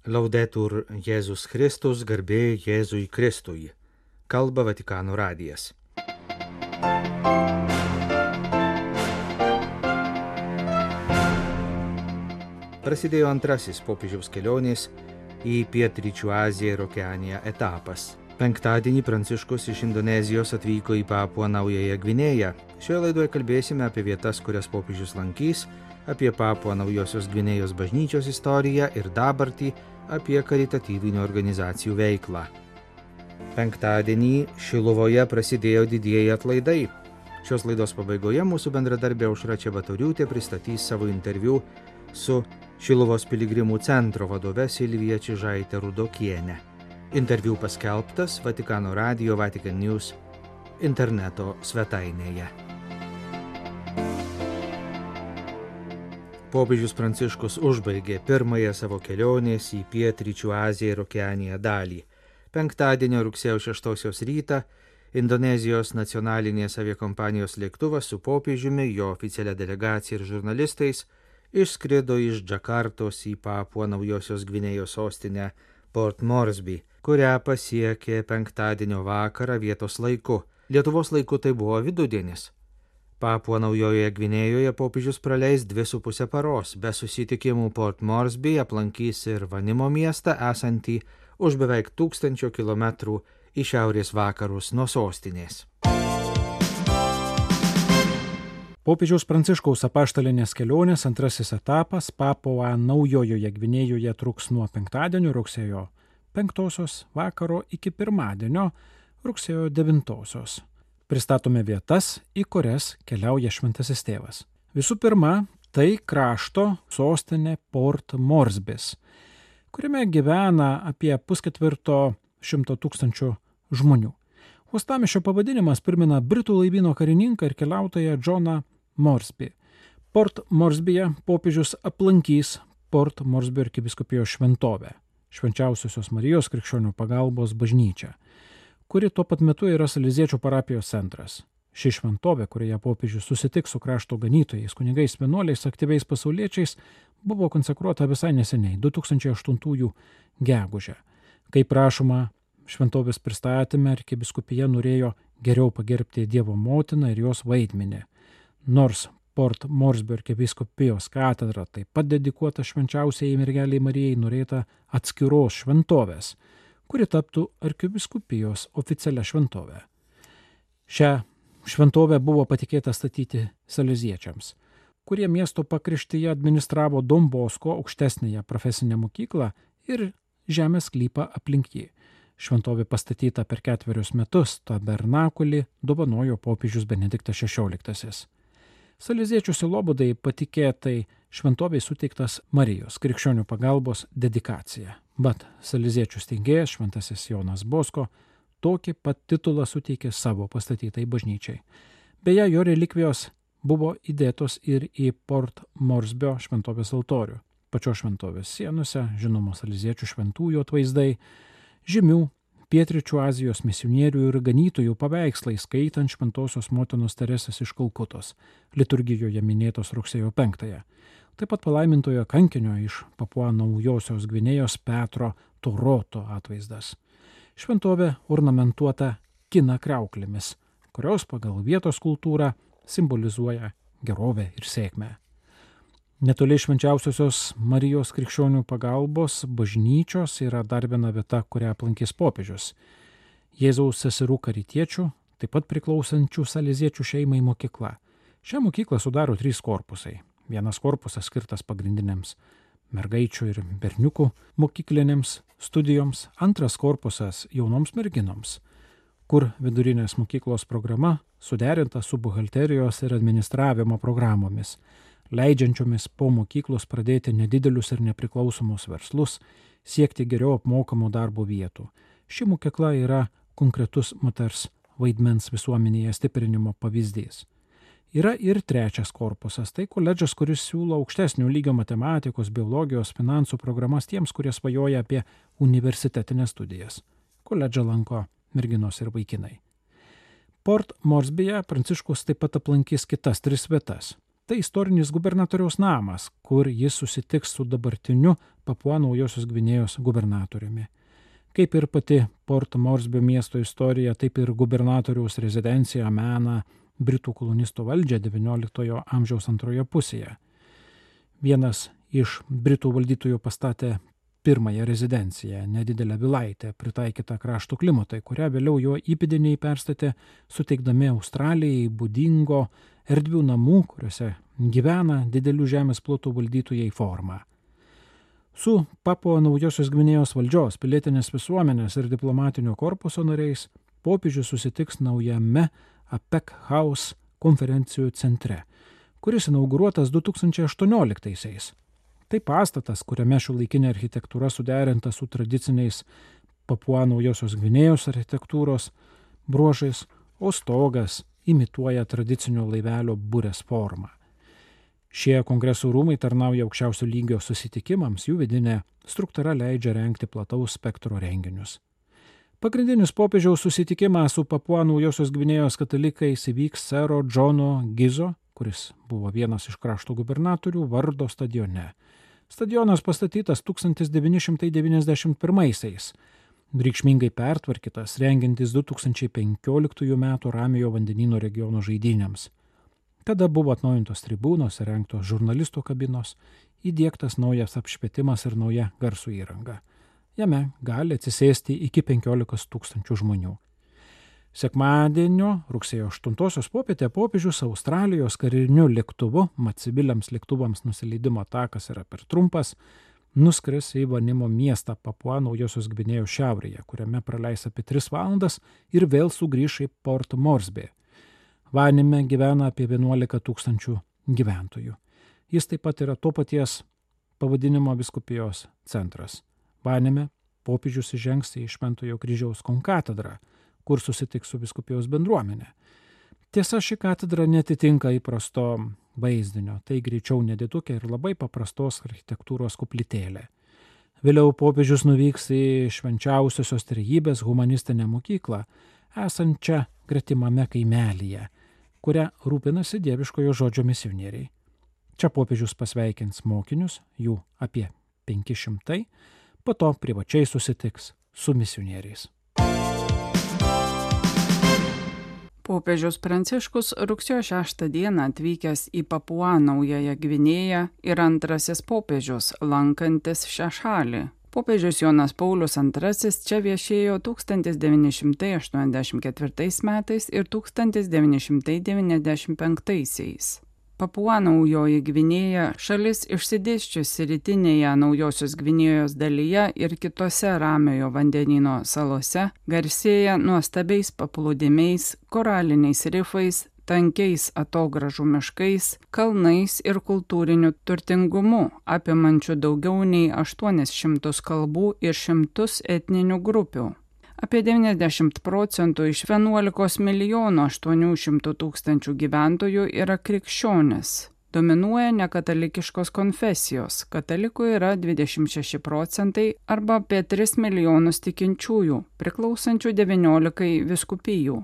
Laudetur Jėzus Kristus, garbė Jėzui Kristui. Kalba Vatikano radijas. Prasidėjo antrasis popiežiaus kelionės į Pietryčių Aziją ir Okeaniją etapas. Penktadienį Pranciškus iš Indonezijos atvyko į Papuą Naująją Gvinėją. Šioje laidoje kalbėsime apie vietas, kurias popiežius lankys, apie Papuą Naujosios Gvinėjos bažnyčios istoriją ir dabartį, apie karitatyvinių organizacijų veiklą. Penktadienį Šiluvoje prasidėjo didieji atlaidai. Šios laidos pabaigoje mūsų bendradarbė Aušra Čebatoriūtė pristatys savo interviu su Šiluvos piligrimų centro vadove Silvija Čižaitė Rudokienė. Interviu paskelbtas Vatikano radijo Vatican News interneto svetainėje. Popiežius Pranciškus užbaigė pirmąją savo kelionės į Pietryčių Aziją ir Okeaniją dalį. Penktadienio rugsėjo 6 rytą Indonezijos nacionalinės aviakompanijos lėktuvas su popiežiumi, jo oficialia delegacija ir žurnalistais išskrido iš Džakartos į Papuą Naujosios Gvinėjos sostinę Port Moresby, kurią pasiekė penktadienio vakarą vietos laiku. Lietuvos laiku tai buvo vidudienis. Papuą Naujojoje Gvinėjoje popiežius praleis 2,5 paros. Be susitikimų Port Moresby aplankys ir Vanimo miestą esantį už beveik 1000 kilometrų į šiaurės vakarus nuo sostinės. Popiežiaus Pranciškaus apaštalinės kelionės antrasis etapas Papuą Naujojoje Gvinėjoje truks nuo penktadienio rugsėjo 5 vakaro iki pirmadienio rugsėjo 9. Pristatome vietas, į kurias keliauja šventasis tėvas. Visų pirma, tai krašto sostinė Port Moresbys, kuriame gyvena apie 350 000 žmonių. Uostamiesčio pavadinimas primena britų laivyno karininką ir keliautoją Johną Moresby. Port Moresbyje popiežius aplankys Port Moresby arkivyskupijos šventovę, Švenčiausiosios Marijos Krikščionių pagalbos bažnyčią, kuri tuo pat metu yra Saleziečių parapijos centras. Ši šventovė, kurioje popiežius susitiks su krašto ganytojais, kunigais, vienuoliais, aktyviais pasauliečiais, buvo konsekruota visai neseniai, 2008 gegužę. Kaip rašoma šventovės pristatyme, arkivyskupija norėjo geriau pagerbti Dievo motiną ir jos vaidmenį. Nors Port Moresby arkivyskupijos katedra taip pat dedikuota švenčiausiai mergelei Marijai, norėta atskiros šventovės, kuri taptų arkivyskupijos oficialia šventovė. Šią šventovę buvo patikėta statyti saleziečiams, kurie miesto pakraštyje administravo Don Bosco aukštesnąją profesinę mokyklą ir žemės sklypą aplink jį. Šventovė pastatyta per 4 metus, tabernakulį dovanojo popiežius Benediktas XVI. Saleziečių sielovadai patikėtai šventovei suteiktas Marijos Krikščionių pagalbos dedikacija. Bet saleziečių steigėjas šventasis Jonas Bosko tokį pat titulą suteikė savo pastatytai bažnyčiai. Beje, jo relikvijos buvo įdėtos ir į Port Moresbio šventovės altorių. Pačios šventovės sienose žinomos saleziečių šventųjų atvaizdai, žymių Pietryčių Azijos misionierių ir ganytojų paveikslai, skaitant Šventosios motinos Teresės iš Kalkutos, liturgijoje minėtos rugsėjo 5. Taip pat palaimintojo kankinio iš Papuą Naujosios Gvinėjos Petro Toroto atvaizdas. Šventovė ornamentuota kina kriauklėmis, kurios pagal vietos kultūrą simbolizuoja gerovę ir sėkmę. Netoli Švenčiausiosios Marijos Krikščionių pagalbos bažnyčios yra dar viena vieta, kurią aplankys popiežius. Jėzaus seserų karitiečių, taip pat priklausančių saleziečių šeimai mokykla. Šią mokyklą sudaro 3 korpusai. Vienas korpusas skirtas pagrindinėms mergaičių ir berniukų mokyklinėms studijoms, antras korpusas jaunoms merginoms, kur vidurinės mokyklos programa suderinta su buhalterijos ir administravimo programomis, leidžiančiomis po mokyklos pradėti nedidelius ir nepriklausomus verslus, siekti geriau apmokamų darbo vietų. Ši mokykla yra konkretus moters vaidmens visuomenėje stiprinimo pavyzdys. Yra ir 3 korpusas, tai koledžas, kuris siūlo aukštesnio lygio matematikos, biologijos, finansų programas tiems, kurie svajoja apie universitetinės studijas. Koledžą lanko merginos ir vaikinai. Port Moresbyje Pranciškus taip pat aplankys kitas 3 vietas. Tai istorinis gubernatoriaus namas, kur jis susitiks su dabartiniu Papua Naujosios Gvinėjos gubernatoriumi. Kaip ir pati Port Moresby miesto istorija, taip ir gubernatoriaus rezidencija mena Britų kolonistų valdžią XIX amžiaus antroje pusėje. Vienas iš Britų valdytojų pastatė pirmąją rezidenciją, nedidelę vilaitę, pritaikytą krašto klimatui, kurią vėliau jo įpėdiniai perstatė, suteikdami Australijai būdingo erdvių namų, kuriuose gyvena didelių žemės plotų valdytojai formą. Su Papua Naujosios Gvinėjos valdžios, pilietinės visuomenės ir diplomatinio korpuso nariais popiežius susitiks naujame APEC House konferencijų centre, kuris inauguruotas 2018-aisiais. Tai pastatas, kuriame šiuolaikinė architektūra suderinta su tradiciniais Papua Naujosios Gvinėjos architektūros bruožais, o stogas imituoja tradicinio laivelio burės formą. Šie kongresų rūmai tarnauja aukščiausio lygio susitikimams, jų vidinė struktūra leidžia rengti plataus spektro renginius. Pagrindinis popiežiaus susitikimas su Papua Naujosios Gvinėjos katalikais įvyks sero Džono Gizo, kuris buvo vienas iš krašto gubernatorių, vardo stadione. Stadionas pastatytas 1991-aisiais, reikšmingai pertvarkytas, rengiantis 2015 metų Ramiojo vandenyno regiono žaidynėms. Tada buvo atnaujintos tribūnos, įrengtos žurnalistų kabinos, įdiegtas naujas apšvietimas ir nauja garsų įranga. Jame gali atsisėsti iki 15 000 žmonių. Sekmadienio rugsėjo 8 popietę popiežius Australijos kariniu lėktuvu, mat civiliams lėktuvams nusileidimo takas yra per trumpas, nuskris į Vanimo miestą Papua Naujosios Gvinėjos šiaurėje, kuriame praleis apie 3 valandas ir vėl sugrįš į Port Moresby. Vanime gyvena apie 11 000 gyventojų. Jis taip pat yra to paties pavadinimo vyskupijos centras. Vanime popiežius įžengs į Šventojo kryžiaus konkatedrą, kur susitiks su vyskupijos bendruomenė. Tiesa, ši katedra netitinka įprasto vaizdinio, tai greičiau nedidukė ir labai paprastos architektūros koplytėlė. Vėliau popiežius nuvyks į Švenčiausiosios Trejybės humanistinę mokyklą, esančią gretimame kaimelyje, kurią rūpinasi dieviškojo žodžio misionieriai. Čia popiežius pasveikins mokinius, jų apie 500, po to privačiai susitiks su misionieriais. Popiežius Pranciškus rugsėjo 6 dieną atvykęs į Papua Naująją Gvinėją ir antrasis popiežius lankantis šią šalį. Popiežius Jonas Paulius II čia viešėjo 1984 metais ir 1995. Papua Naujoji Gvinėja šalis išsidėsčiusi rytinėje Naujosios Gvinėjos dalyje ir kitose Ramiojo vandenyno salose garsėja nuostabiais paplūdimiais, koraliniais rifais, tankiais atogražų miškais, kalnais ir kultūriniu turtingumu, apimančiu daugiau nei 800 kalbų ir 100 etninių grupių. Apie 90% iš 11 800 000 gyventojų yra krikščionys. Dominuoja nekatalikiškos konfesijos, katalikų yra 26% arba apie 3 milijonus tikinčiųjų, priklausančių 19 vyskupijų.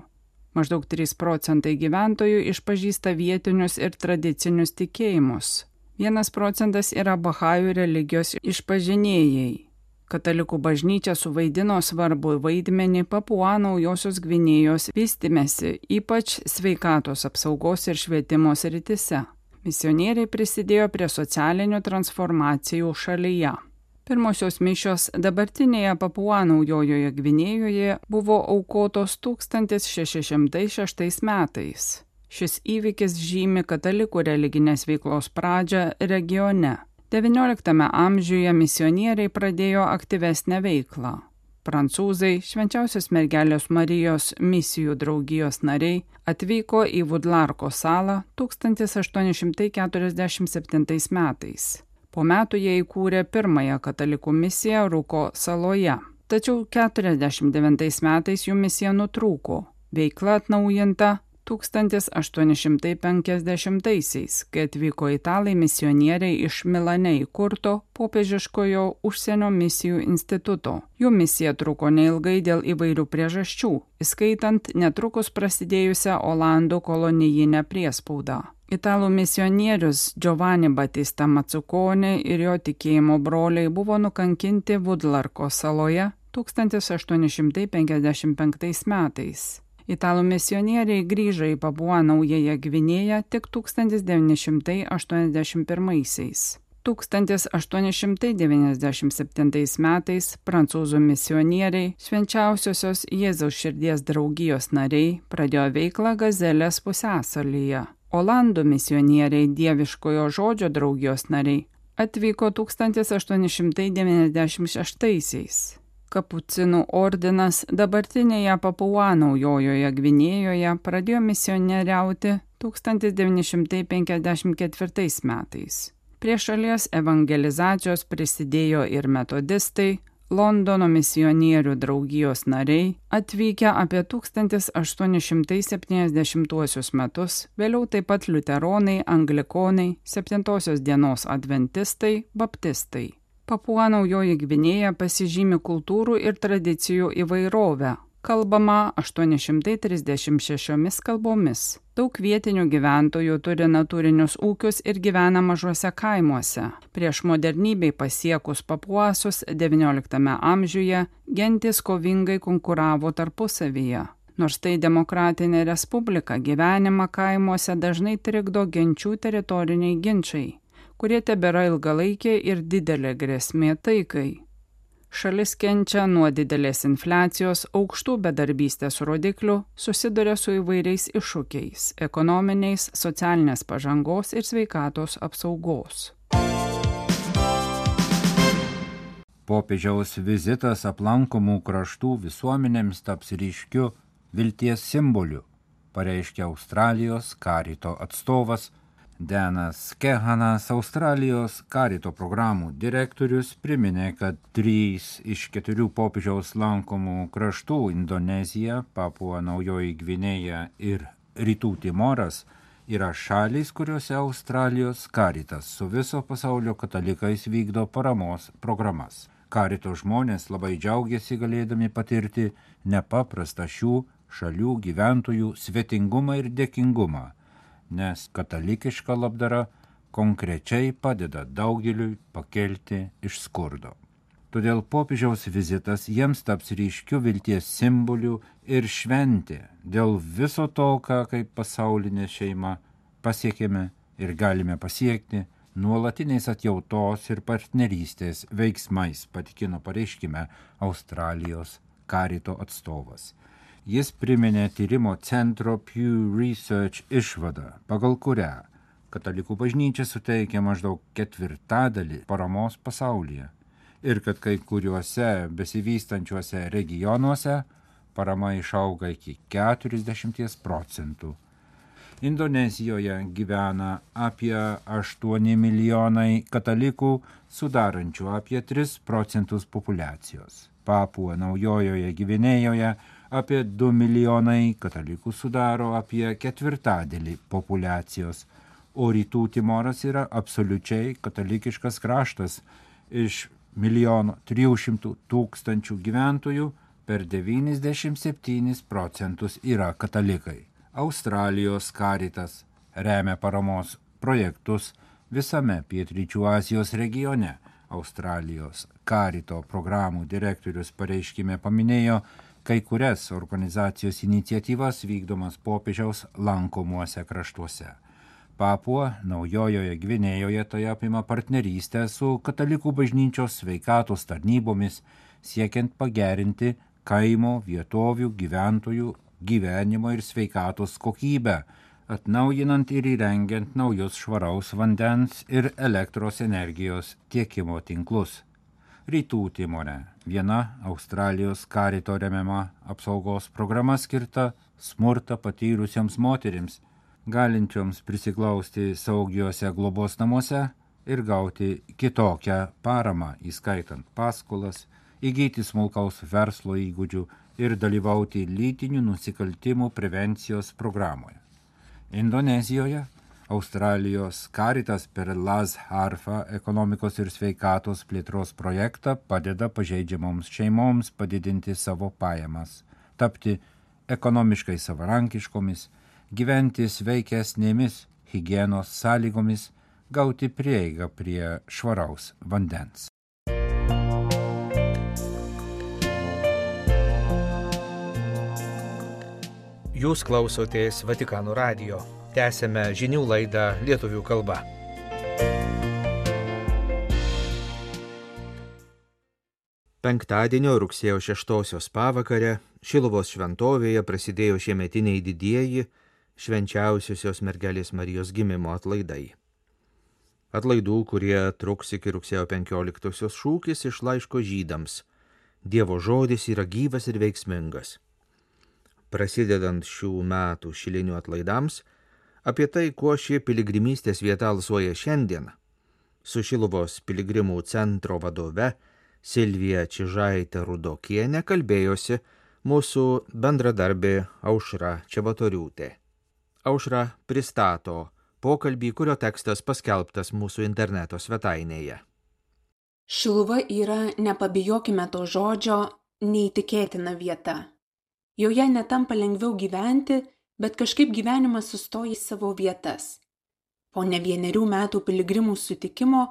Maždaug 3% gyventojų išpažįsta vietinius ir tradicinius tikėjimus. 1% yra bahajų religijos išpažinėjai. Katalikų bažnyčia suvaidino svarbų vaidmenį Papua Naujosios Gvinėjos vystymesi, ypač sveikatos apsaugos ir švietimo srityse. Misionieriai prisidėjo prie socialinių transformacijų šalyje. Pirmosios mišios dabartinėje Papua Naujojoje Gvinėjoje buvo aukotos 1606 metais. Šis įvykis žymi katalikų religinės veiklos pradžią regione. XIX amžiuje misionieriai pradėjo aktyvesnę veiklą. Prancūzai, Švenčiausios mergelės Marijos misijų draugijos nariai, atvyko į Vudlarko salą 1847 metais. Po metų jie įkūrė pirmąją katalikų misiją Ruko saloje. Tačiau 49 metais jų misija nutrūko. Veikla atnaujinta 1850-aisiais, kai atvyko italai misionieriai iš Milane įkurto popiežiškojo užsienio misijų instituto. Jų misija truko neilgai dėl įvairių priežasčių, įskaitant netrukus prasidėjusią Olandų kolonijinę priespaudą. Italų misionierius Giovanni Battista Mazzuconi ir jo tikėjimo broliai buvo nukankinti Vudlarko saloje 1855 metais. Italų misionieriai grįžo į Papua Naująją Gvinėją tik 1981. 1897 metais prancūzų misionieriai, Švenčiausiosios Jėzaus širdies draugijos nariai, pradėjo veiklą Gazelės pusiasalyje. Olandų misionieriai, Dieviškojo žodžio draugijos nariai, atvyko 1896. Kapucinų ordinas dabartinėje Papua Naujojoje Gvinėjoje pradėjo misionieriauti 1954 metais. Prie šalies evangelizacijos prisidėjo ir metodistai, Londono misionierių draugijos nariai, atvykę apie 1870 metus, vėliau taip pat liuteronai, anglikonai, 7 dienos adventistai, baptistai. Papua Naujoji Gvinėja pasižymi kultūrų ir tradicijų įvairovę. Kalbama 836 kalbomis. Daug vietinių gyventojų turi natūrinius ūkius ir gyvena mažuose kaimuose. Prieš modernybei pasiekus papuasus XIX amžiuje gentys kovingai konkuravo tarpusavyje. Nors tai demokratinė respublika, gyvenimą kaimuose dažnai trikdo genčių teritoriniai ginčiai, kurie tebėra ilgalaikė ir didelė grėsmė taikai. Šalis kenčia nuo didelės infliacijos, aukštų bedarbystės rodiklių, susiduria su įvairiais iššūkiais – ekonominiais, socialinės pažangos ir sveikatos apsaugos. Popiežiaus vizitas aplankomų kraštų visuomenėms taps ryškiu vilties simboliu, pareiškė Australijos Karito atstovas Denas Kehanas. Australijos Karito programų direktorius priminė, kad 3 iš 4 popiežiaus lankomų kraštų – Indonezija, Papua Naujoji Gvinėja ir Rytų Timoras – yra šalys, kuriuose Australijos Karitas su viso pasaulio katalikais vykdo paramos programas. Karito žmonės labai džiaugiasi galėdami patirti nepaprastą šių šalių gyventojų svetingumą ir dėkingumą, nes katalikiška labdara konkrečiai padeda daugeliui pakelti iš skurdo. Todėl popiežiaus vizitas jiems taps ryškiu vilties simboliu ir šventė dėl viso to, ką kaip pasaulinė šeima pasiekėme ir galime pasiekti nuolatiniais atjautos ir partnerystės veiksmais, patikino pareiškime Australijos Karito atstovas. Jis priminė tyrimo centro Pew Research išvadą, pagal kurią katalikų bažnyčia suteikia maždaug 1/4 paramos pasaulyje ir kad kai kuriuose besivystančiuose regionuose parama išauga iki 40%. Indonezijoje gyvena apie 8 milijonai katalikų, sudarančių apie 3% populiacijos. Papua Naujojoje Gvinėjoje apie 2 milijonai katalikų sudaro apie 1/4 populiacijos, o Rytų Timoras yra absoliučiai katalikiškas kraštas. Iš 1,3 milijono gyventojų per 97% yra katalikai. Australijos Karitas remia paramos projektus visame Pietryčių Azijos regione. Australijos Karito programų direktorius pareiškime paminėjo kai kurias organizacijos iniciatyvas vykdomas popiežiaus lankomuose kraštuose. Papua Naujojoje Gvinėjoje tai apima partnerystę su katalikų bažnyčios sveikatos tarnybomis, siekiant pagerinti kaimo vietovių gyventojų gyvenimo ir sveikatos kokybę, atnaujinant ir įrengiant naujus švaraus vandens ir elektros energijos tiekimo tinklus. Rytų Timore viena Australijos Karito remiama apsaugos programa skirta smurtą patyrusiems moterims, galinčioms prisiglausti saugiuose globos namuose ir gauti kitokią paramą, įskaitant paskolas, įgyti smulkaus verslo įgūdžių ir dalyvauti lytinių nusikaltimų prevencijos programoje. Indonezijoje Australijos Karitas per Las Harfa ekonomikos ir sveikatos plėtros projektą padeda pažeidžiamoms šeimoms padidinti savo pajamas, tapti ekonomiškai savarankiškomis, gyventi sveikesnėmis higienos sąlygomis gauti prieigą prie švaraus vandens. Jūs klausotės Vatikano radijo. Tęsėme žinių laidą lietuvių kalba. Penktadienio rugsėjo 6 pavakarę Šiluvos šventovėje prasidėjo šiemetiniai didieji švenčiausiosios mergelės Marijos gimimo atlaidai. Atlaidų, kurie truks iki rugsėjo 15 šūkis iš laiško žydams. Dievo žodis yra gyvas ir veiksmingas. Prasidedant šių metų šilinių atlaidams, apie tai, kuo ši piligrimystės vieta alsuoja šiandien, su Šiluvos piligrimų centro vadove Silvija Čižaitė Rudokienė kalbėjosi mūsų bendradarbė Aušra Čebatoriūtė. Aušra pristato pokalbį, kurio tekstas paskelbtas mūsų interneto svetainėje. Šiluva yra, nepabijokime to žodžio, neįtikėtina vieta. Joje netampa lengviau gyventi, bet kažkaip gyvenimas sustoja į savo vietas. Po ne 1 metų piligrimų sutikimo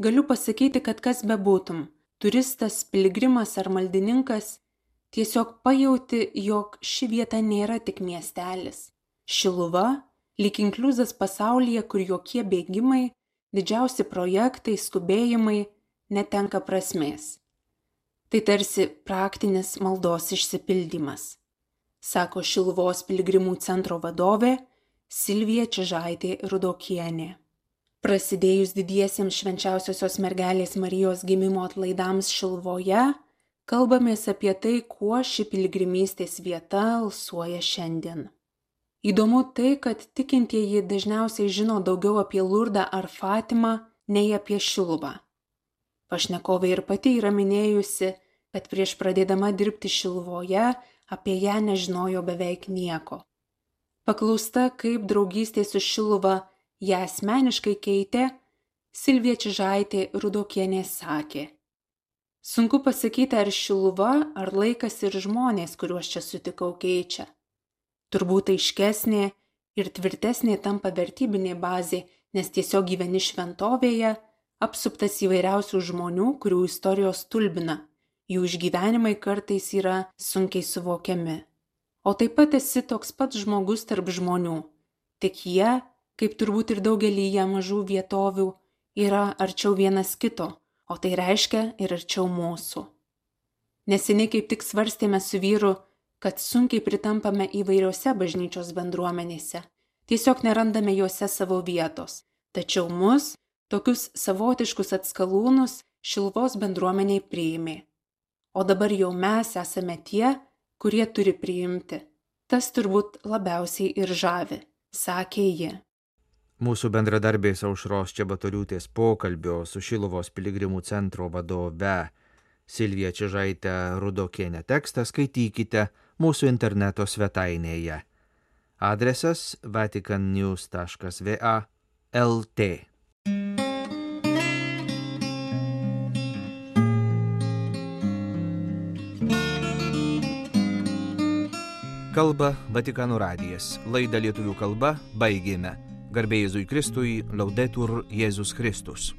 galiu pasakyti, kad kas bebūtum, turistas, piligrimas ar maldininkas, tiesiog pajauti, jog ši vieta nėra tik miestelis. Šiluva, lyg inkliuzas pasaulyje, kur jokie bėgimai, didžiausi projektai, skubėjimai netenka prasmės. Tai tarsi praktinis maldos išsipildymas, sako Šiluvos piligrimų centro vadovė Silvija Čižaitė Rudokienė. Prasidėjus didiesiems švenčiausiosios mergelės Marijos gimimo atlaidams Šiluvoje, kalbamės apie tai, kuo ši piligrimystės vieta alsuoja šiandien. Įdomu tai, kad tikintieji dažniausiai žino daugiau apie Lurdą ar Fatimą nei apie Šiluvą. Pašnekovė ir pati yra minėjusi, kad prieš pradėdama dirbti Šiluvoje apie ją nežinojo beveik nieko. Paklausta, kaip draugystė su Šiluva ją asmeniškai keitė, Silvija Čižaitė Rudokienė sakė: sunku pasakyti, ar Šiluva, ar laikas ir žmonės, kuriuos čia sutikau, keičia. Turbūt aiškesnė ir tvirtesnė tampa vertybinė bazė, nes tiesiog gyveni šventovėje, apsuptas įvairiausių žmonių, kurių istorijos stulbina. Jų išgyvenimai kartais yra sunkiai suvokiami. O taip pat esi toks pats žmogus tarp žmonių. Tik jie, kaip turbūt ir daugelyje mažų vietovių, yra arčiau vienas kito, o tai reiškia ir arčiau mūsų. Neseniai kaip tik svarstėme su vyru, kad sunkiai pritampame įvairiose bažnyčios bendruomenėse. Tiesiog nerandame juose savo vietos. Tačiau mus, tokius savotiškus atskalūnus, Šiluvos bendruomeniai priėmė. O dabar jau mes esame tie, kurie turi priimti. Tas turbūt labiausiai ir žavi, sakė ji. Mūsų bendradarbės Aušros Čebatoriūtės pokalbio su Šiluvos piligrimų centro vadove Silvija Čižaitė Rudokienė tekstą skaitykite mūsų interneto svetainėje. Adresas vaticannews.va/lt. Kalba Vatikano radijas. Laidą lietuvių kalba baigėme. Garbė Jėzui Kristui, Laudetur Jėzus Kristus.